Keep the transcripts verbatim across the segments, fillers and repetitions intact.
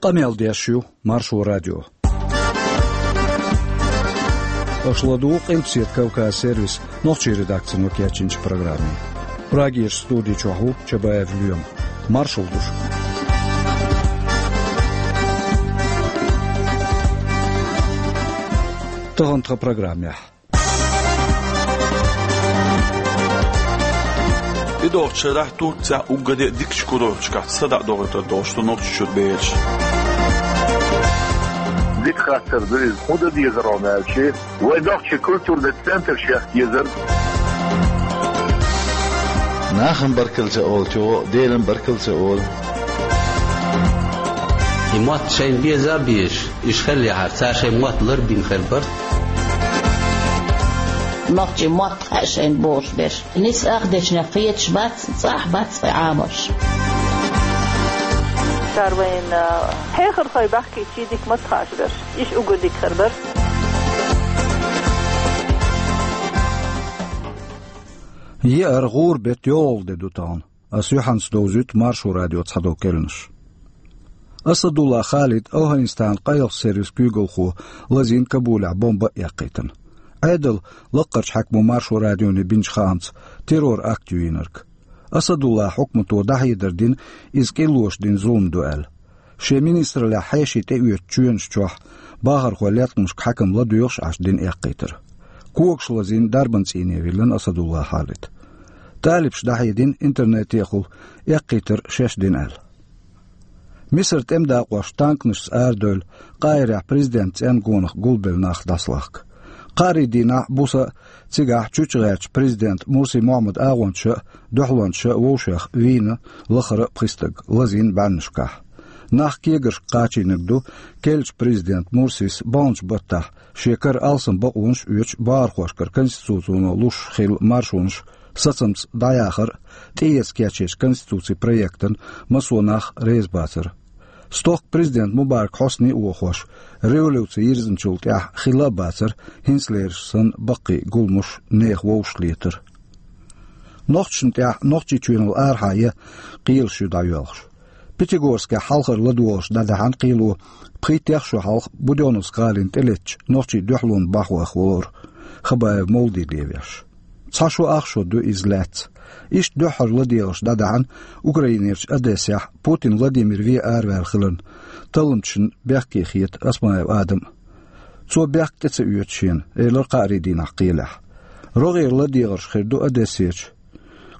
Къамел деш ю Маршо радио. Аша ладугӀу Къилбаседа Кавказ сервисан нохчийн редакцино кечйинчу программе. Прагерчу студи чохь ву Чабаев Лоьма. Маршалла ду шуьга. Тахана тхан программехь. ТӀедогӀучу шарахь Турцехь уггаре а дикачу курорташкахь садаӀа дохуьйтур долуш ду Нохчийчуьра бераш. Дика хаттар ду иза. ХӀун дан дезара хьуна аьлча, вайн нохчийн культурный центр шех дезара. Нахана баркалла ца олучо Делан баркалла ца олу. И мотт шайна беза а безаш, иштта хиллехьара, цара шайн мотт ларбина хир бара. Нохчийн мотт хаьа шайна бохуш берш. Нийса ах дечунех кхеташ бац, цӀахь бац цкъа Ӏамош. Цара вайна хьехархой бахкийча дика мотт хууш берш. Иштта уггар дика хир бара. Еара гӀуран беттан йолхалгӀа де ду тахана. Ас юьхьанца довзуьйту Маршо радион цхьадолу керланаш. Асадулла Халид ОвхӀанистанан къайлахчу сервисан куьйгалхо лазийна Кабулехь бомба а эккхийтина. Ӏедалан лаккхарчу хьаькамо Маршо радионе бинчу хаамца, террор акт ю йинарг. Асадуллан хьукмато дӀахьедар дина, иза кӀиллоша дина зулам ду аьлла. Шен министраллехь хьеший тӀеоьцучу чоьнаш чохь бахархойн латкъамашка хьаькам ладоьгӀуш Ӏаш дина эккхийтар. Когаш лазийна дарбан цӀийне виллина Асадулла Халид. ТӀалибаша дӀахьедина интернетехула, эккхийтар шаьш дина аьлла. Мисаран тӀеман дакъош танканашца арадевлла Къахьирехь президентан цӀенна гонах гулбелла нах дӀасалахка. Кхаарин дийнахь а, буса а цигахь чучча гӀертачу президент Мурси Мохьмадан агӀончаша а, дуьхьалончаша а вовшех вийна лахара а пхи стаг, лазийна бӀаьрнашкахь. Нах кегаршка кхачийнарг ду керлачу президента Мурсис баханчу баттахь шен кара алсам бакъонаш а оьцуш, бахархошкара конституцино луш хилла маршонаш сацамца дӀаяхар а, тӀеэца кечъечу конституцин проектана массо а нах реза бацар. Стохка президент Мубарак Хьосни а вохош, революци йирзинчул тӀаьхьа хилла а бацара хӀинцалерчу санна баккхий гуламаш, нехан вовшахлетар. Нохчашна тӀехь Нохчийчоьнал арахьа ян кхелаш ю дӀайоьлхуш. Пятигорскехь хьалхара ладогӀарш дӀадаьхьна кхело пхийттех шо хьалха Будённовск гӀалина тӀелеттачу нохчийн дуьхьалонан бахьа ваха волура Хабаев Мовлади левеш. Цхьа шо ах шо ду иза лаьцна. Иштта дуьххьара ладегӀарш дӀадаьхьна Украинерчу Одессехь Путин Владимир вен араваьлла хиларна талламчашна бехке хета Осмаев Адам а. Цо бехк тӀе ца оьцу шена, элира кхаарин дийнахь кхелехь. РогӀера ладегӀарш хир ду Одессерчу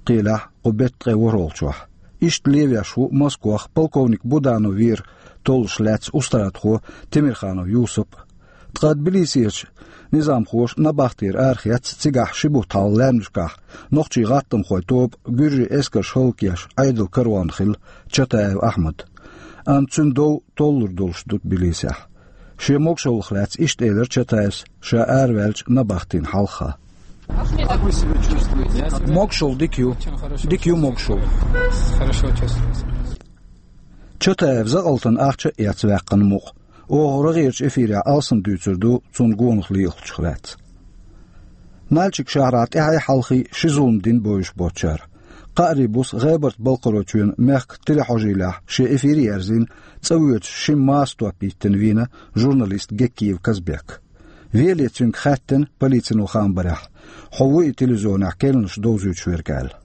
кхелехь кху беттан ткъе ворхӀалгӀачохь. Иштта левеш ву Москвахь полковник Буданов вер толлуш лаьцна устрадахо Темирханов Юсуп а. Ткъа Тбилисерчу низамхоша набахтера арахецна цигахь ши бутт хьалха лаьмнашкахь нохчийн гӀаттамхойн тоба гуьржийн эскарша хӀаллакъеш Ӏедалан караван хилла Чатаев Ахьмад. Амма цуьнан дов толлур долуш ду Тбилисехь. Шен могушаллах лаьцна иштта элира Чатаевс ша араваьллачу набахтина хьалха. Могушалла дика ю. Дика ю могушалла. Чатаев закъалтана ахча а эцна ваьккхина мукъа. Оха рогӀерчу эфирехь алсам дуьйцур ду цунна гонах лиъхачух лаьцна. Нальчик шахьарахь тӀаьхьий-хьалхий ши зулам дина бовзуш боцучара. Кхаарин буса ГӀебарта-Балкхаройчоьнан мехкан телехьожийлехь шен эфир а ерзийна, цӀа воьдуш шимма маса топ йиттина вийна журналист Геккиев Казбек. Веле цуьнга хаьттина, полицино хаам барехь, хьо ву и телевизионехь керланаш довзуьйтуш верг аьлла.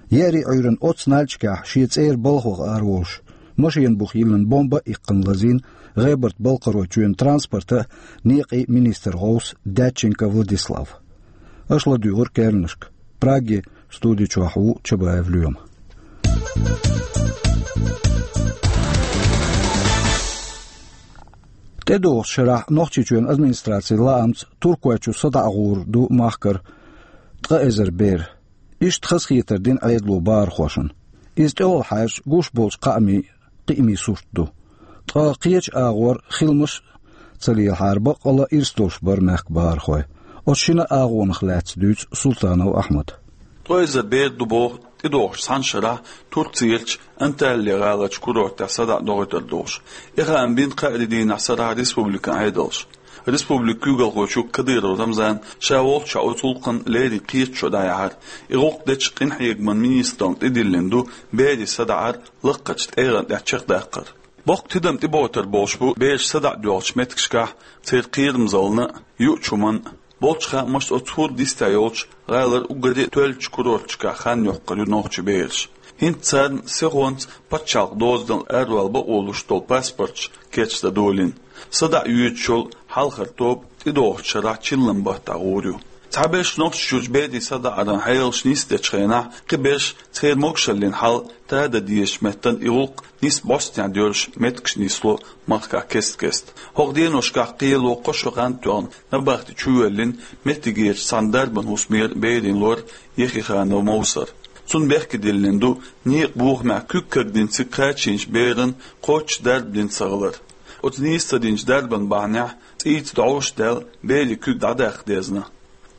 Еарин Ӏуьйранна оццу Нальчикехь шен цӀера балха ваха араволуш, машенан буха йиллина бомба а иккхина лазийна ГӀебарта-Балкхаройчоьнан транспортан а, некъийн а министран гӀовс Дьяченко Владислав. Аша ладуьйгӀира керланашка. Прагерчу студи чохь ву Чабаев Лоьма. ТӀедогӀучу шарахь Нохчийчоьнан администрацин лаамца Туркойчу садаӀа гӀур ду махкара ткъа эзар бер. Иштта хазахетар дина Ӏедало бахархошна. Иза тӀехула хьаьжча гуш болчу кхаамийн кхиамийн сурт ду. Ткъа кхечу агӀор хиламаш а ца лелахьара, баккъалла а ирс долуш бара мехкан бахархой. Оцу шина агӀонах лаьцна дуьйцу Султанов Ахьмада. Ткъа эзар бер ду боху тӀедогӀучу цхьана шарахь Турцерчу Анталия гӀаларчу курортехь садаӀа дохуьйтур долуш. И хаам бина кхаарин дийнахь сарахь республикан Ӏедалша. Республикан куьйгалхочо Кадыров Рамзана ша волччохь оцу гӀуллакхна леррина кхеташо дӀаяьхьира. И гӀуллакх дечу къинхьегаман министрална тӀедиллина ду берийн садаӀар лакхарчу тӀегӀан тӀехь чекхдаккхар. Боккха тидам тӀеботтар болуш бу бераш садаӀа доьлхучу меттигашкахь, церан кхерамзаллина а, юучу хӀуманна а. Болчу хаамашца, оцу хӀора дистехь йолчу гӀалара уггаре а тоьллачу курорташкахь хан йоккхур ю нохчийн бераш. ХӀинца царна сихонца пачхьалкхан дозанал аравала бакъо луш долу паспорташ кечдан долийна. СадаӀа йоьдуш йолу хьалхара тоба тӀедогӀучу шарахь чиллан баттахь гӀур ю. Цхьаберш Нохчийчуьрчу берийн садаӀаран хьелаш нисдечу хенахь, кхин берш церан могушаллин хьал тадан дезачу меттана и гӀуллакх нисбостехь доьрзуш меттигаш нисло махкахь кест-кеста. ХӀокху деношкахь кхело кхо шо хан тоьхна набахти чувоьллина меттигерчу цхьана дарбан хӀусамера берийн лор Ехиханов Мовсар. Цунна бехке диллина ду некъан бохамехь куьг кагдина цига кхачийначу беран кхоччуш дарба дина ца хилар. Оцу нийса ца динчу дарбан бахьанехь цӀийца дӀовш даьлла берийн куьг дӀадаккха дезна.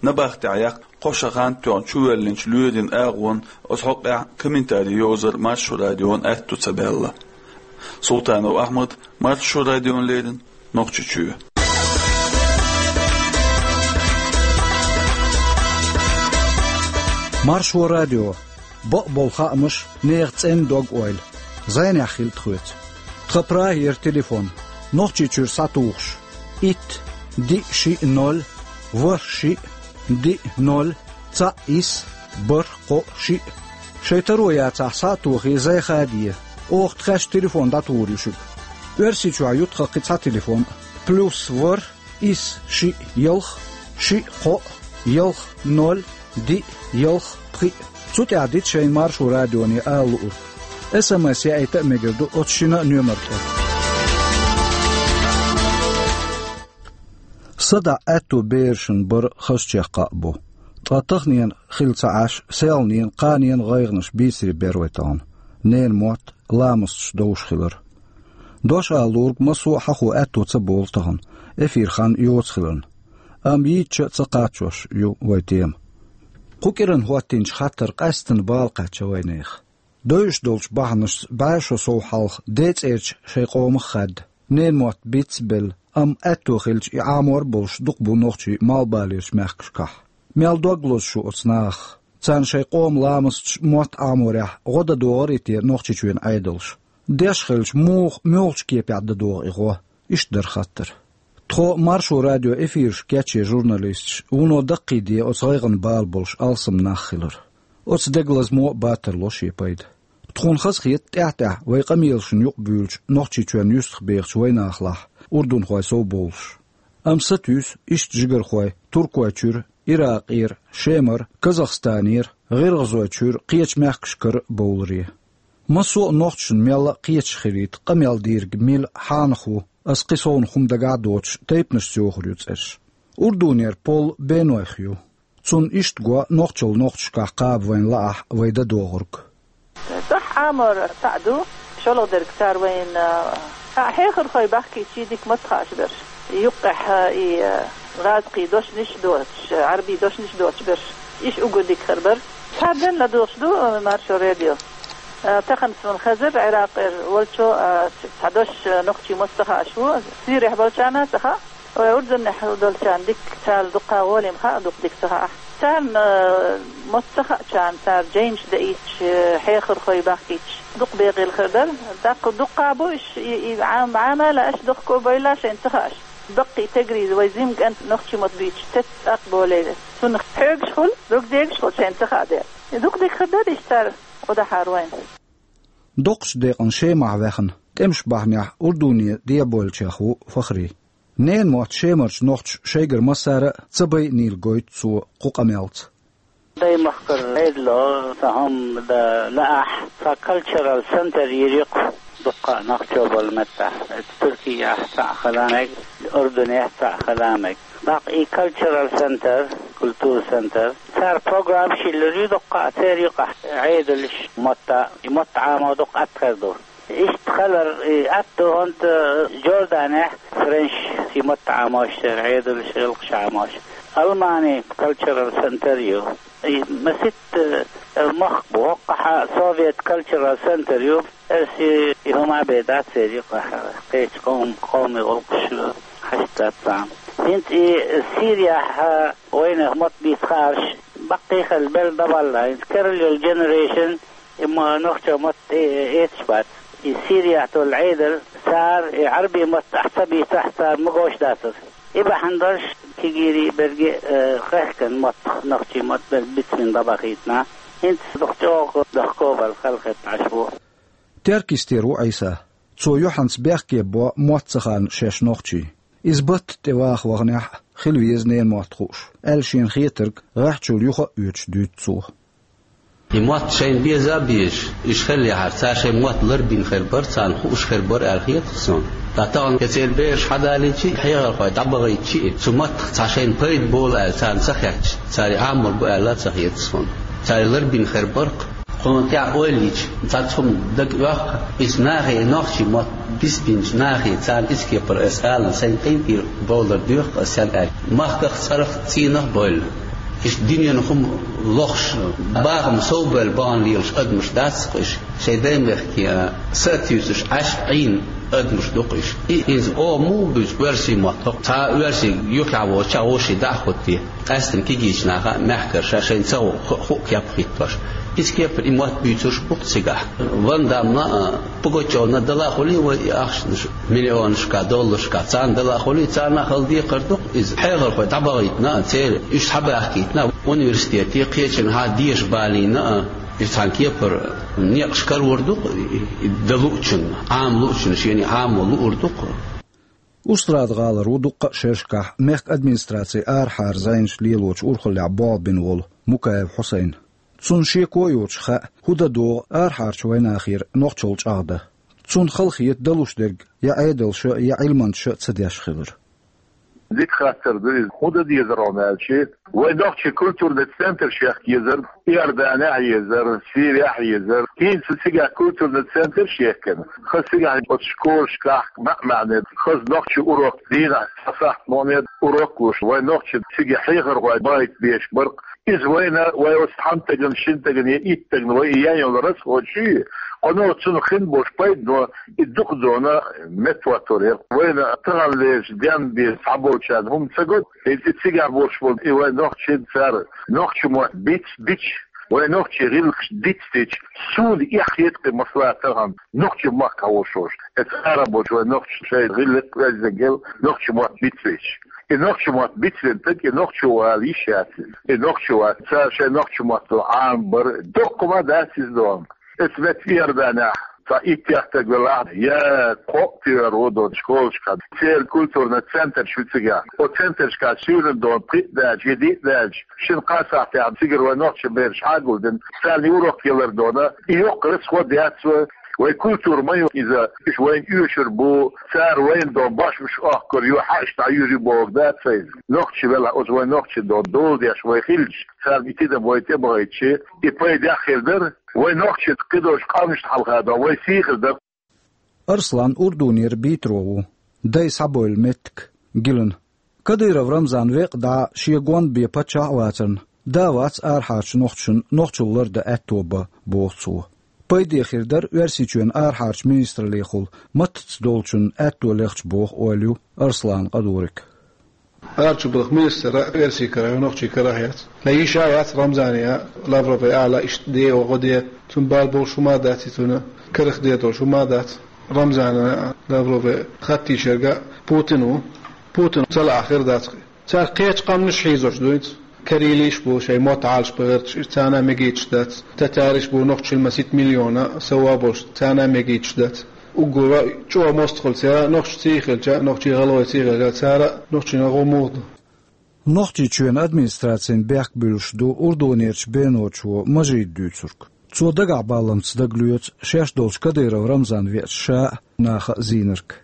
Набахтехь яккха кхо шо хан тоьхна чувоьллинчу лоьрийн агӀонна оцу хьокъехь комментари йовзар Маршо радиона аьтто ца баьлла. Султанов Ахьмад, Маршо радиона леррина, Нохчийчоь. Маршо радио. Бакъболу хаамаш, нехан цӀена дог-ойла. ЗӀенехь хила тхоьца. Тхан Прагера телефон. Нохчийчуьра схьатухуш: итт, диъ, шиъ, ноль, ворхӀ, шиъ, диъ, ноль, цхьаъ, исс, бархӀ, кхоъ, шиъ. Шайн таро яцахь, схьа а тохий, зӀе хаде. Оха тхаьш телефон дӀатухур ю шуьга. Оьрсийчохь ю тхан кхин цхьа телефон: плюс ворхӀ, исс, шиъ, ялх, шиъ, кхоъ, ялх, ноль, диъ, ялх, пхиъ. Цу тӀехь дита шайна Маршо радионе ала луург. СМС яийта а мегар ду оцу шина а номер тӀе. СадаӀа аьтто берашна бар хазачех кхаъ бу. Ткъа таханенан хилла ца Ӏаш, селханенан, кханенан гӀайгӀанаш бийцаре бер вай тахана. Ненан мотт, ламасташ довш хилар. Дош ала луург массо а хьахо аьтто ца болу тахана, эфир хан йоцу хиларна. Амма йийцича а ца кхачош ю вай тема. Кху кӀиран хӀоттийначу хаттара къаьсттина бала кхаьчна вайнехан. Девзаш долчу бахьанашца бӀе шо сов хьалха ден цӀерачу шайн къомах хаьдда, ненан мотт бицбелла, амма аьтто хилча и Ӏамор а болуш дукха бу нохчий малхбалерчу мехкашкахь. Мел дог лозу шу оцу нахах? Царна шайн къоман ламасташ, мотт Ӏаморехь гӀо дан догӀур ю те Нохчийчоьнан Ӏедалша? Деш хилча, муха, муьлхачу кепехь дан догӀу и гӀо? Иштта дара хаттар. Тхо, Маршо радион эфирашка кечъен журналисташ, вуно даккхийде оцу гӀайгӀанан бала болуш алсам нах хилар. Оцу дегалазамо а батарло шен пайда. Тхуна хазахета тӀаьхь-тӀаьхьа вайн къамелашна юкъабуьйлучу Нохчийчоьнна юьстахбехачу вайнахалахь урдунхой совбовлуш. Амма сатуьйсу иштта жигархой Туркойчуьра, Иракъера, Шемара, Казахстанера, ГӀиргӀазойчуьра, кхечу мехкашкара а бовларе. Массо а нохчашна мелла а кхеташ хилийта къамел дийриг мила, хьанах ву, аса кхин совнаха хӀума дагахь а доцуш, тайпанашца йохур ю цӀераш. Урдунера Пол Бенойх ю. Цунна иштта го нохчалла нохчашкахь кхаба вайна лаахь вай дан догӀург. ТӀаккха Ӏамор цхьаъ ду, шолгӀа дерг цара вайна, а, хьехархой бахкийча дика ма ца хаьа берш. Юккъехь, а, и, а, гӀазкхийн дошнаш доцуш, а, Ӏарбийн дошнаш доцуш берш. Иштта уггар дика хир бара. Цхьа ден ладугӀуш ду, а, Маршо радио. А, тахана суна хезира Ӏиракъера волчо, а, цхьа дош, а, нохчийн мотт ца хаьаш ву, Сирехь болчарна а ца хаьа. Вай урдунехь долчарна дика, царна дуккха гӀоле ма хаьа, дукха дика ца хаьа. Царна, э, мотт ца хаьачарна, цара жайнаш даийтича, э, хьехархой бахкийтича, дукха бегӀийла хир дара. ТӀаккха дуккха бу уьш, и, и Ӏам-, Ӏамал а аш дохко а бевлла, шайна ца хаьаш. Баккхий тегрий вай жима кӀант нохчийн мотт буьйцуш, цец цӀаккха болийла. Цунах хьоьгуш хуьлу, догдегуш хуьлу, шайна ца хаьа дела. И дукха дика хир дара иштта цара гӀо дахьара вайна. Доккхачу декъана Шемахь ваьхна, тӀемаш бахьанехь Урдуне дӀабойлучех ву Фахри. Ненан мотт шемарчу нохчаша шайгара массара а ца байинийла гойту цо кху къамелца. Даймахкара Ӏедало, сан хӀума дан лаахь, сан cultural center йийр ю-кх дуккха а нохчо болу меттехь. Туркехь цхьаъ хила мега, Урдунехь цхьаъ хила мега. ТӀаккха и cultural center, культура центр, цара программаш йиллар ю дуккха а, церан юкъахь Ӏедалш, мотт, и мотт Ӏамо дукха атта хир ду. Иштта хилар, и атта ду хӀунда Джорданехь френчийн мотт Ӏамош, церан Ӏедалш, гӀиллакхаш Ӏамош. Алмани cultural center ю. И маситта, э, мохк бу, хӀоккхахь а Совет cultural center ю. Эрсий и хӀума бен дац церан юкъахь, кхечу къом-, къоман гӀуллакхаш хьашт дац царна. ХӀинца и Сирияхь вайнах мотт бийца хаарш баккхий хилла белла дӀабалла, хӀинца керла йолу generation и ма-, нохчо мотт э-, эцаш бац. И Сирияхь долу Ӏедал Цара и Ӏарбий мотт ахь ца бийцахь, цара магош дацар. И бахьана долуш кегийрий берриг а, э, хехкан мотт, нохчий мотт берг бицбина дӀабахийтина. ХӀинца дукха чӀогӀа дохко а бала халахетта Ӏаш ву. Теркйистера ву Ӏийса. Цо юьхьанца бехке бо мотт ца ханна шаьш нохчий. Иза батта тӀе ваха ваханехь а, хила веза ненан мотт хууш, аьлла шена хетарг гӀеххьачул юха а оьцуш дуьйцу цо. И мотт шайна беза а безаш, уьш хиллехьара, цара шайн мотт ларбина хир бара, царна хууш хир бара аьлла хета-кх суна. Ткъа тахана я церан бераш хьадалийча а, хьехархой дӀабахийтича а, цу маттах цхьа шайна пайда болу аьлла царна ца хеташ, цара Ӏамор бу аьлла а ца хета суна. Цара ларбина хир бара-кх. Кхунна тӀехь ойла йича, цхьацца хӀума дага оьху, иза нахе, и нохчий мотт бицбинчу нахе, царна иза кепара аса алан, сайн къинтӀера бовлар доьху аса аьлла. Махках, цӀарах, цӀийнах а бевлла, иштта дуьненан хӀума лохуш, бахам совбевлла бахана лелаш адамаш дац-кх уьш, шайн даймехке а са а туьйсуш Ӏаш Ӏийна адамаш ду-кх уьш. И иза оха муха буьйцу оьрсийн мотт? ХӀокху цхьа оьрсий юххехь воцучохь вовшийн дӀа а хӀоттий, къаьсттина кегийчу наха а, мехкара ша шайна ца ху-, ху-, ху-, кеп хӀиттош. Иза кепара и мотт буьйцурш бу-кх цигахь. Ван Даммна а, Пугачевна а дала а хуьлий вай и ахчанаш, миллионашкахь, долларшкахь, царна дала а хуьлий, царна а хала декхар ду-кх иза. Хьехархой дӀабахийтина а, церан уьш схьабаьхкийтина а, университете, кхечанхьа а деша балийна а, иза цхьана кепара некъаш карор ду-кх и, и дан луучунна, Ӏама луучунна, шена и Ӏамо луур ду-кх. Устрада-ГӀалара ву дуккха а шерашкахь мехкан администрацин арахьара зӀенаш лелочу урхаллехь болх бина волу Мукаев Хьусайн. Цунна шеко а йоцуш хаьа, хӀун дан догӀу арахьарчу вайнахера нохчалла чӀагӀдан. Цунна хала хета далуш дерг я Ӏедалша, я Ӏилманчаша ца деш хилар. Дика хаттар ду иза. ХӀун дан дезара хьуна аьлча, вай нохчийн культурный центраш яхка езара, Иорданехь а езара, Сирехь а езара. ХӀинца цигахь культурный центраш а яхкина, хаза цигахь оцу школашкахь маьӀ-маьӀне хаза нохчийн урок, дийнахь цхьа сахьт мо-м урок луш, вай нохчий цига хьехархой бахийта безаш бара-кх. Иза вайна, вай оцу цхьана стагана, шина стагана я итт стагана вай и ян йолу расход шуьйра, кхано цунах хин болуш пайдано и дукха зона меттахӀоттор яра. Вайна таханлерчу денна бен цхьаболчарна хӀума ца го, иза и цигахь болуш болу и вай нохчий, цара нохчийн мотт биц-, бицча, вай нохчийн гӀиллакхаш дицдича, суна эхь хета-кх и масала тахана нохчийн махкахь волуш волуш. Эцу ара болчу вай нохчийн шайн гӀиллакх, оьздангалла нохчийн мотт бицвича. И нохчийн мотт бицвина стаг, и нохчо вала йиш яц иза. И нохчо вац, цара шайн нохчийн маттахь Ӏамабар, доккха хӀума дац иза дона. Эцу метта Иорданехь цхьа иттех стаг велахь, я кхоъ тӀера ву дона школашкахь. Церан культурный центраш ю цигахь. Оцу центрашкахь суьйранна дона пхиъ даьлча, я диъ даьлча, шина-кхаа сахьтехь цигара вай нохчийн бераш хьагулдина, царна урок ялар дона. И йоккха расход яц вай. Вай культура ма ю иза, уьш вайна оьшур бу, цара вайна дон башмаш охкур ю, хьаъаш дӀаюьйр ю бохург дац иза. Нохчий велахь, оцу вай нохчийн дон дола деш вай хилча, царна и тидам вай тӀебахийтича, и пайдехь хир дара. Вай нохчийн кхидолчу къаьмнашна хьалха дон вай сий хир дара. Арслан Урдунера Битро ву, дай схьабевлла меттиг Гилан. Кадыров Рамзан векъа дӀа шен гонна бен паччахь а вацарна, да а вац арахьарчу нохчашна нохчалла лардан аьтто бан, боху цо. Пайде хир дара Оьрсийчоьнан арахьарчу министраллехула маттаца долчунна аьтто лехча боху ойла ю Арсланан Къадуриг. Арахьарчу балха министр а оьрсийн карахь ю, нохчийн карахь яц. Ла йиш а яц Рамзане а, Лаврове а ала иштта де а, гӀо де а. Цунна бала болуш хӀума а дац и, цунна карах де долуш хӀума а дац. Рамзана а, Лаврове а хатта йиш ерг а Путин ву. Путин ца лаахь хир дац-кх. Цара кхечу къаьмнаш хьийзош ду хӀинца. Карелаш бу шайн мотт Ӏалашбан гӀерташ, царна а мегийташ дац. Татараш бу нохчашна масийтта миллион а сов а болуш, царна а мегийташ дац. Уггар а чӀогӀа мостагӀалла цара, нохчашций хилча, нохчийн гӀалгӀайций хилча, цара а нохчашна гӀо муха ду. Нохчийчоьнан администрацина бехк буьллуш ду Урдунерчу беночо Мажида дуьйцург. Цо дагахь балламца дагалоьцу шаьш долчу Кадыров Рамзан веача ша а, наха а зийнарг.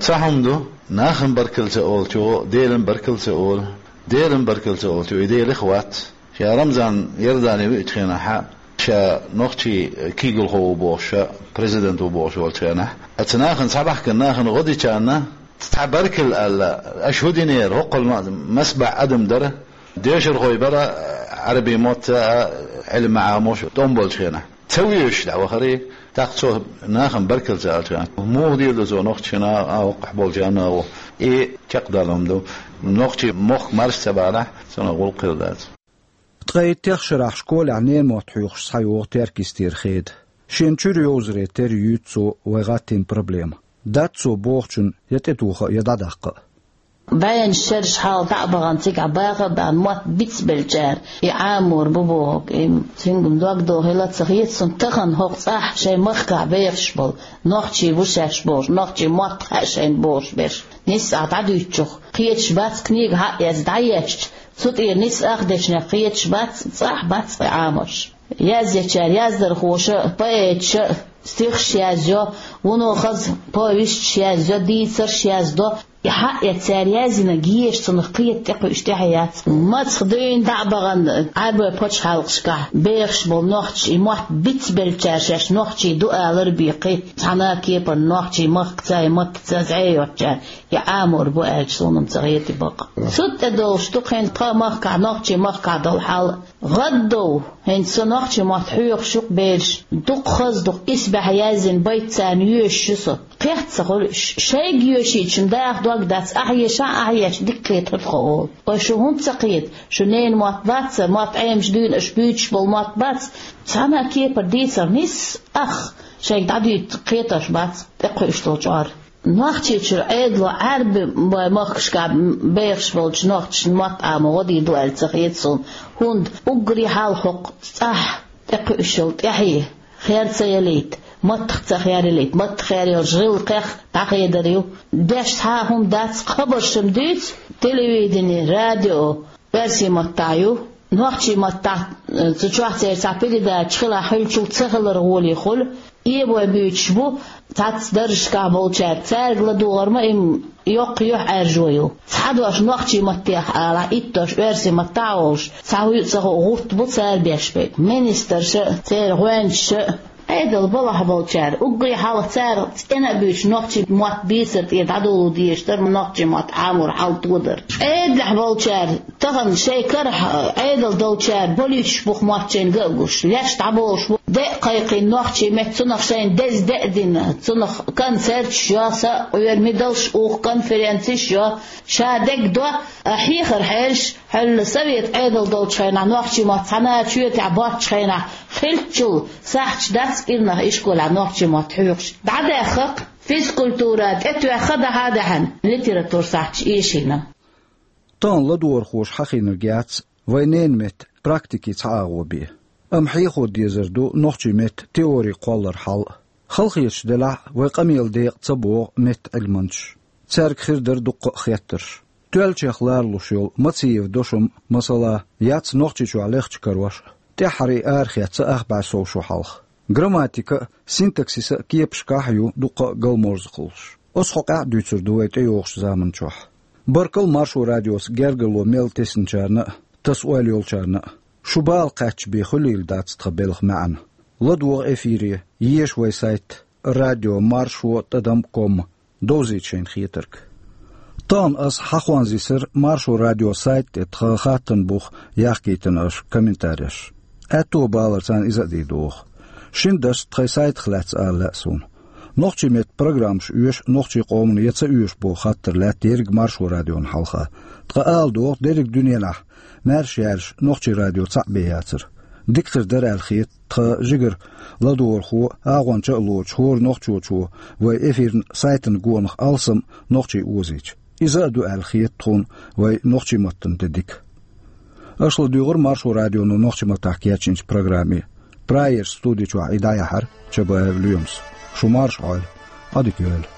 Цхьа хӀума ду, нахана баркалла ца олучо Делан баркалла ца олу, Делан баркалла ца олучо и Делах вац. Ша Рамзан Иордане веачу хенахь, ша нохчийн куьйгалхо ву бохуш, ша президент ву бохуш волчу хенахь, оцу нахана, схьабаьхкина нахана гӀо дичарна цхьа баркалла аьлла, аша хӀун динера, хӀокхул ма-, маса бӀе адам дара, дешархой бара, Ӏарбийн мотт а, Ӏилма Ӏамош тӀом болчу хенахь. Ца вуьйш дӀавахара, тӀаккха цо нахана баркалла ца аьлча, муха дийр ду цо нохчашна а, хӀокхахь болчарна а гӀо? И чекхдалла хӀума ду. Нохчийн мохк марша ца балахь, цунах гӀуллакх хир дац. Ткъе итт шарахь школехь ненан мотт хьоьхуш схьайогӀу Теркйистера Хеда. Шена чуьра йовзаре терра юьйцу цо вай гӀаттийна проблема. дац цо бохучун я тӀетоха а, я дӀадаккха а. БӀеннаш шераш хьалха дӀа а бахана, цигахь баха а баьхна, мотт бицбеллачара и Ӏамор бу бохург. И цуьнга дог дохийла а ца хета суна, тахана хӀокху цӀахь шайн махкахь бехаш болу нохчий бу шаьш бохуш, нохчийн мотт хаьа шайна бохуш берш. Нисса ахь дӀадуьйцучух кхеташ бац, книга хьа а эцна дӀаешча, цу тӀера нисса ах дешнех кхеташ бац, цӀахь бац кхин Ӏамош. Язъечара яздархоша а, поэташа а стихаш язйо, вуно хаза повесташ язйо, дийцарш яздо. И хьа а эцна цара яздинарг еша цунах кхета, тӀекхуьуш тӀаьхье яц. Мацах дуьйна дӀа а бахана, Ӏаьрбойн пачхьалкхашкахь бехаш болу нохчий, и мотт бицбеллачара шаьш нохчий ду алар бен кхин цхьана а кепара нохчийн махкаца, и маттаца зӀе йоцучара и Ӏамор бу аьлча, суна-м ца хета и бакъ. Цу тӀе долуш ду кхин тхан махкахь, нохчийн махкахь долу хьал. ГӀаддов, хӀинца со нохчийн мотт хьоьхуш ю-кх, бераш, дукха хаза ду-кх, исбаьхьа яздина байт царна йоьшуш ю со. Кхетта ца хуьлу, ш-, шайга йоьшийча-м даха дог дац, ахь ешахь а, ахь ешча дика кхетар тхо олу. Ой, шу хӀунда ца кхета? Шу ненан мотт бац, мотт Ӏемаш дуьйна аша буьйцуш болу мотт бац? Цхьана а кепара дийцар нисса ах шайга дӀадуьйцу кхетарш бац, тӀекхуьуш долу чкъор. Нохчийчуьра Ӏедало Ӏаьрбойн махкашкахь бехаш болчу нохчашна мотт Ӏамо гӀо дийр ду аьлла ца хета суна, хӀунда уггаре хьалха хӀокху цӀахь тӀекхуьуш йолу тӀаьхье хер ца ялийта, маттах ца хер ялийта, маттах хер йолчу гӀиллакхех дӀахедар ю. Деш цхьа а хӀума дац, хабарш-м дуьйцу, телевидени, радио оьрсийн маттахь ю. Нохчийн маттахь, э, цу чохь церан цхьа передача хилахь, хуьлучул ца хилар гӀоле хуьлу. Эбой буьйцуш бу цхьацца даржашкахь болчаьрга, цаьрга ладогӀар ма и-м йоккха юьхьӀаьржо ю. Цхьа дош нохчийн маттахь алахь, итт дош оьрсийн маттахь а олуш, цхьа хӀуьйа ца хуу гӀурт бу цара беш берг. Министраша а, церан гӀоьнчаша а, Ӏедал балахь болчара, уггаре хьалха цара цӀена а буьйцуш, нохчийн мотт бийцар тӀера дӀадоло дезаш дара, нохчийн мотт Ӏамор хьал тодар. Ӏедалехь болчара, тахана шайн карахь Ӏедал долчара болуьйтуш бу-кх мотт шайна га а гуш, леш дӀаболуш бу, де а кхайкхийна нохчийн меттан, цунах шайна деза де а дина, цунах концерташ йо, са а къоьрмидалш уху, конференцеш йо, ша дегдо, а хьехар хьерш, хьуьлла совет Ӏедал долчу хенахь нохчийн мотт цхьана а чоь тӀехь боцчу хенахь хиллачул сахьташ дац кӀирнах ишколехь нохчийн мотт хьоьхуш. ДӀадаьхха-кх физкультура, тӀетоьхха дӀа-хьа а даьхьна литература сахьташ эшийна. Тахана ладогӀархоша хьахийнарг яц вайн ненан меттан практикин цхьа агӀо бен. Амма хьехо дезар ду нохчийн меттан теорин кхолларан хьал а. Халахеташ делахь а, вайн къамелан декъа ца богӀу меттан Ӏилманчаш. Цаьрга хир дара дуккха а хеттарш. Тоьллачех ларалуш йолу Мациевн дошам, масала, яц Нохчийчохь лехча карош а, тӀаьххьара и арахецна ах бӀе сов шо хьалха. Грамматика а, синтаксис а кепашкахь а ю дуккха а галморзахаллаш. Оцу хьокъехь а дуьйцур ду вай тӀейогӀучу заманчохь. Баркалла Маршо радиоца гергарло мел тесначарна а, таса ойла йолчарна а. Шун бала кхаьчча бен хуьлийла дац тхан белхан маьӀна. ЛадогӀа эфире, еша вайн сайт радио маршо тӀадам ком, довзийта шайна хетарг. Тахана ас хьахонзийсира Маршо радион сайта тӀе тхан хаттарна бух яхкийтина аша комментареш. Аьтто балар царна иза а дийр ду оха. Шина дашца тхайн сайтах лаьцна ала лаьа суна. Нохчийн меттан программаш оьшу нохчийн къомана я ца оьшу боху хаттар лаьтта ерриг Маршо радиона хьалха. Ткъа ала догӀу, дерриг дуьненахь маьрша яьржа нохчийн радио цхьаъ бен яцара. Дика хир дара аьлла хета тхан жигара ладогӀархо, агӀонча а лоцуш, хӀора нохчочо вайн эфирна сайтана гонах алсам нохчийн озийча. Иза а ду аьлла хета тхуна вайн нохчийн маттана тӀе дика. Аша ладуьйгӀира Маршо радионо нохчийн маттахь кечйинчу программе. Прайерс студи чохь и дӀаяьхьира Чабаев Лоьмас. Шу марша Ӏойла. Ӏадика йойла.